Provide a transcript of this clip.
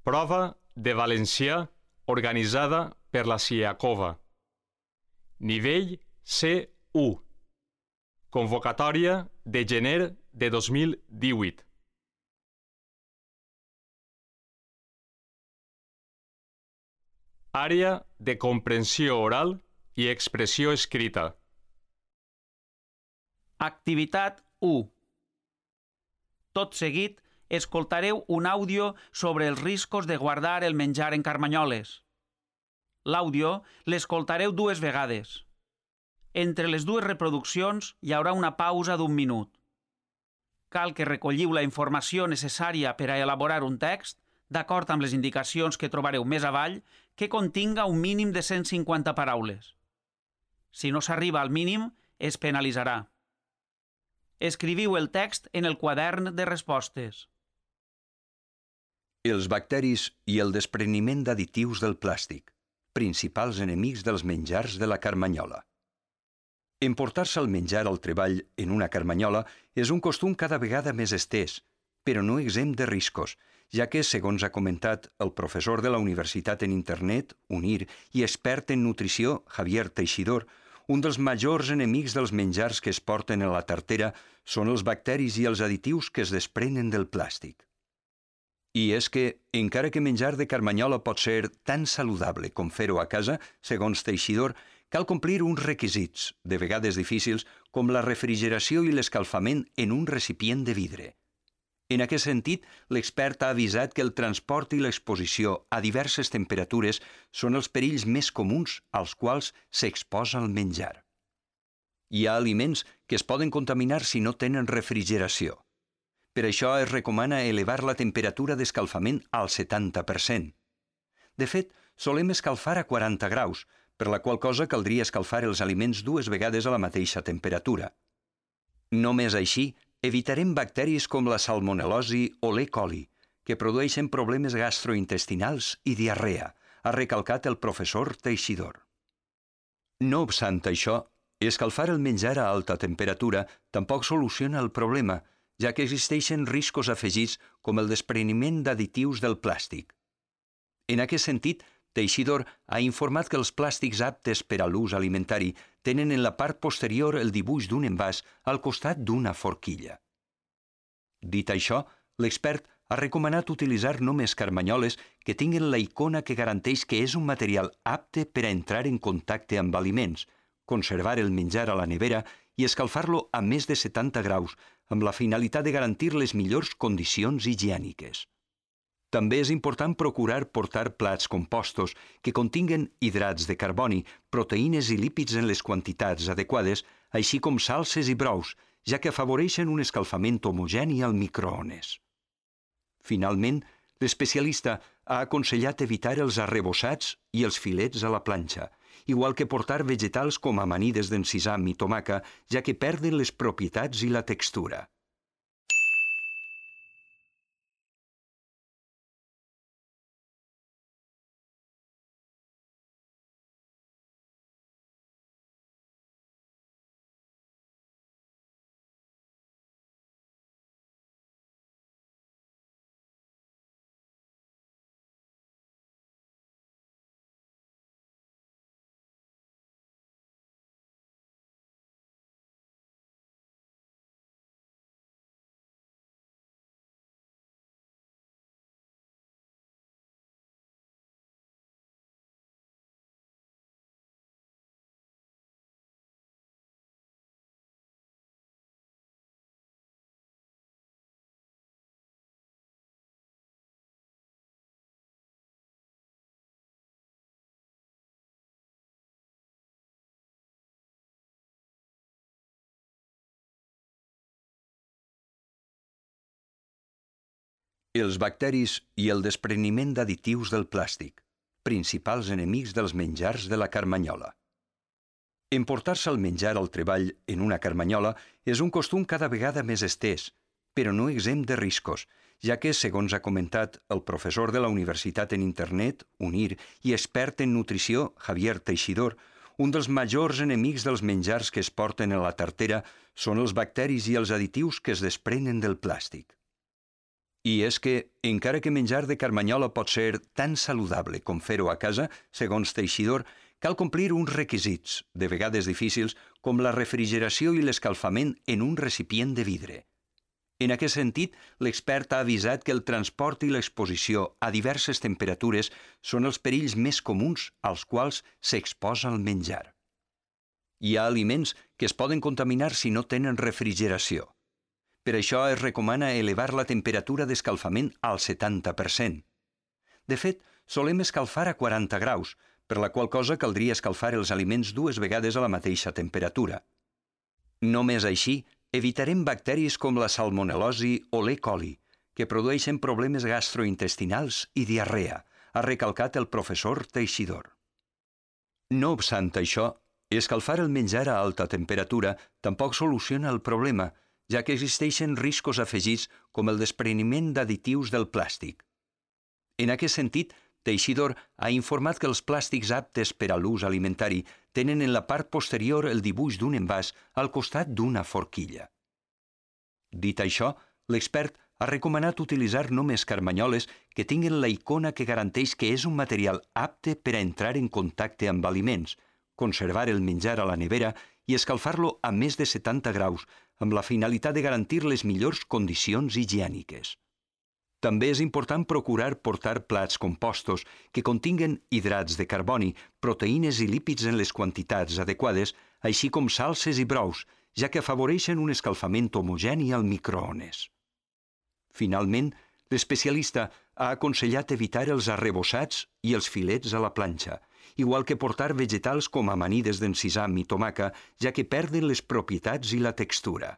Prova de valencià organitzada per la CIACOVA. Nivell C1. Convocatòria de gener de 2018. Àrea de comprensió oral i expressió escrita. Activitat 1. Tot seguit, escoltareu un àudio sobre els riscos de guardar el menjar en carmanyoles. L'àudio l'escoltareu 2 vegades. Entre les 2 reproduccions hi haurà una pausa d'1 minut. Cal que recolliu la informació necessària per a elaborar un text, d'acord amb les indicacions que trobareu més avall, que continga un mínim de 150 paraules. Si no s'arriba al mínim, es penalitzarà. Escriviu el text en el quadern de respostes. Els bacteris i el despreniment d'additius del plàstic, principals enemics dels menjars de la carmanyola. Emportar-se el menjar al treball en una carmanyola és un costum cada vegada més estès, però no exempt de riscos, ja que, segons ha comentat el professor de la Universitat en Internet, UNIR, i expert en nutrició, Javier Teixidor, un dels majors enemics dels menjars que es porten a la tartera són els bacteris i els additius que es desprenen del plàstic. I és que, encara que menjar de carmanyola pot ser tan saludable com fer-ho a casa, segons Teixidor, cal complir uns requisits, de vegades difícils, com la refrigeració i l'escalfament en un recipient de vidre. En aquest sentit, l'expert ha avisat que el transport i l'exposició a diverses temperatures són els perills més comuns als quals s'exposa el menjar. Hi ha aliments que es poden contaminar si no tenen refrigeració. Per això es recomana elevar la temperatura d'escalfament al 70%. De fet, solem escalfar a 40 graus, per la qual cosa caldria escalfar els aliments 2 vegades a la mateixa temperatura. Només així, evitarem bacteris com la salmonel·losi o l'E. coli, que produeixen problemes gastrointestinals i diarrea, ha recalcat el professor Teixidor. No obstant això, escalfar el menjar a alta temperatura tampoc soluciona el problema, ja que existeixen riscos afegits com el despreniment d'additius del plàstic. En aquest sentit, Teixidor ha informat que els plàstics aptes per a l'ús alimentari tenen en la part posterior el dibuix d'un envàs al costat d'una forquilla. Dit això, l'expert ha recomanat utilitzar només carmanyoles que tinguin la icona que garanteix que és un material apte per a entrar en contacte amb aliments, conservar el menjar a la nevera i escalfar-lo a més de 70 graus, amb la finalitat de garantir les millors condicions higièniques. També és important procurar portar plats compostos que continguen hidrats de carboni, proteïnes i lípids en les quantitats adequades, així com salses i brous, ja que afavoreixen un escalfament homogeni al microones. Finalment, l'especialista ha aconsellat evitar els arrebossats i els filets a la planxa, igual que portar vegetals com amanides d'encisam i tomaca, ja que perden les propietats i la textura. Els bacteris i el despreniment d'additius del plàstic, principals enemics dels menjars de la carmanyola. Emportar-se el menjar al treball en una carmanyola és un costum cada vegada més estès, però no exempt de riscos, ja que, segons ha comentat el professor de la Universitat en Internet, UNIR, i expert en nutrició, Javier Teixidor, un dels majors enemics dels menjars que es porten a la tartera són els bacteris i els additius que es desprenen del plàstic. I és que, encara que menjar de carmanyola pot ser tan saludable com fer-ho a casa, segons Teixidor, cal complir uns requisits, de vegades difícils, com la refrigeració i l'escalfament en un recipient de vidre. En aquest sentit, l'expert ha avisat que el transport i l'exposició a diverses temperatures són els perills més comuns als quals s'exposa el menjar. Hi ha aliments que es poden contaminar si no tenen refrigeració. Per això es recomana elevar la temperatura d'escalfament al 70%. De fet, solem escalfar a 40 graus, per la qual cosa caldria escalfar els aliments 2 vegades a la mateixa temperatura. Només així, evitarem bacteris com la salmonel·losi o l'E. coli, que produeixen problemes gastrointestinals i diarrea, ha recalcat el professor Teixidor. No obstant això, escalfar el menjar a alta temperatura tampoc soluciona el problema, ja que existeixen riscos afegits com el despreniment d'additius del plàstic. En aquest sentit, Teixidor ha informat que els plàstics aptes per a l'ús alimentari tenen en la part posterior el dibuix d'un envàs al costat d'una forquilla. Dit això, l'expert ha recomanat utilitzar només carmanyoles que tinguin la icona que garanteix que és un material apte per a entrar en contacte amb aliments, conservar el menjar a la nevera i escalfar-lo a més de 70 graus, amb la finalitat de garantir les millors condicions higièniques. També és important procurar portar plats compostos que continguen hidrats de carboni, proteïnes i lípids en les quantitats adequades, així com salses i brous, ja que afavoreixen un escalfament homogeni al microones. Finalment, l'especialista ha aconsellat evitar els arrebossats i els filets a la planxa, igual que portar vegetals com amanides d'encisam i tomaca, ja que perden les propietats i la textura.